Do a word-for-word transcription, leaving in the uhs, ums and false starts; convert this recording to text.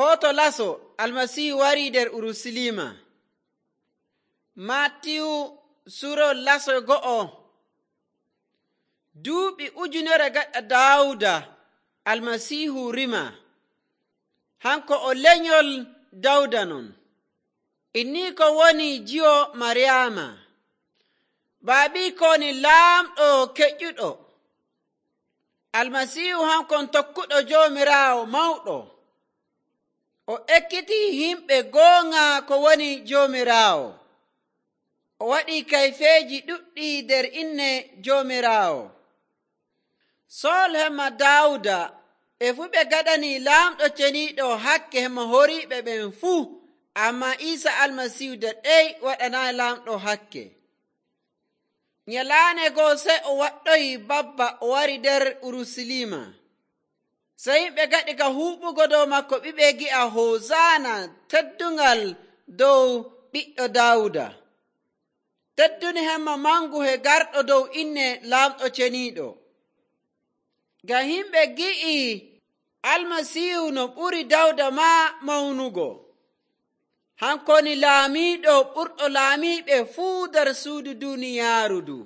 Footo laso Almasiihu warii nder Urusalima. Maatiyu surol laso go'o. Duuɓi ujunere gaɗa Daawuda Almasiihu rima. Hanko o lenyol Dawda non. Inni ko woni jiyo Maryaama. Baabi ko woni laamɗo keƴƴuɗo. Almasiihu hankon tokkuɗo Joomiraawo mawɗo. O ekkiti himɓe goonga ko woni Joomiraawo. O waɗi kayfeeji ɗuɗɗi nder inne Joomiraawo. Sool hemma Daawuda e fuu ɓe gaɗani laamɗo ceniiɗo hakke hemma horiiɓe ɓen fuu, ammaa Iisa Almasiihu de ɗey waɗanaayi laamɗo hakke. Nyalaande goo sey o waɗɗoyi babba o wari nder Urusalima. Sey yimɓe gaɗi ka huuɓugo dow makko ɓiɓe gi'a Hosaana, teddungal dow ɓiɗɗo Daawuda. Tedduni hemma mangu he garɗo dow inne laamɗo ceniiɗo. Ngam yimɓe gi'i Almasiihu no ɓuri Dawda maa mawnugo. Hanko woni laamiiɗo ɓurɗo laamiiɓe fuu nder suudu duuniyaaru du.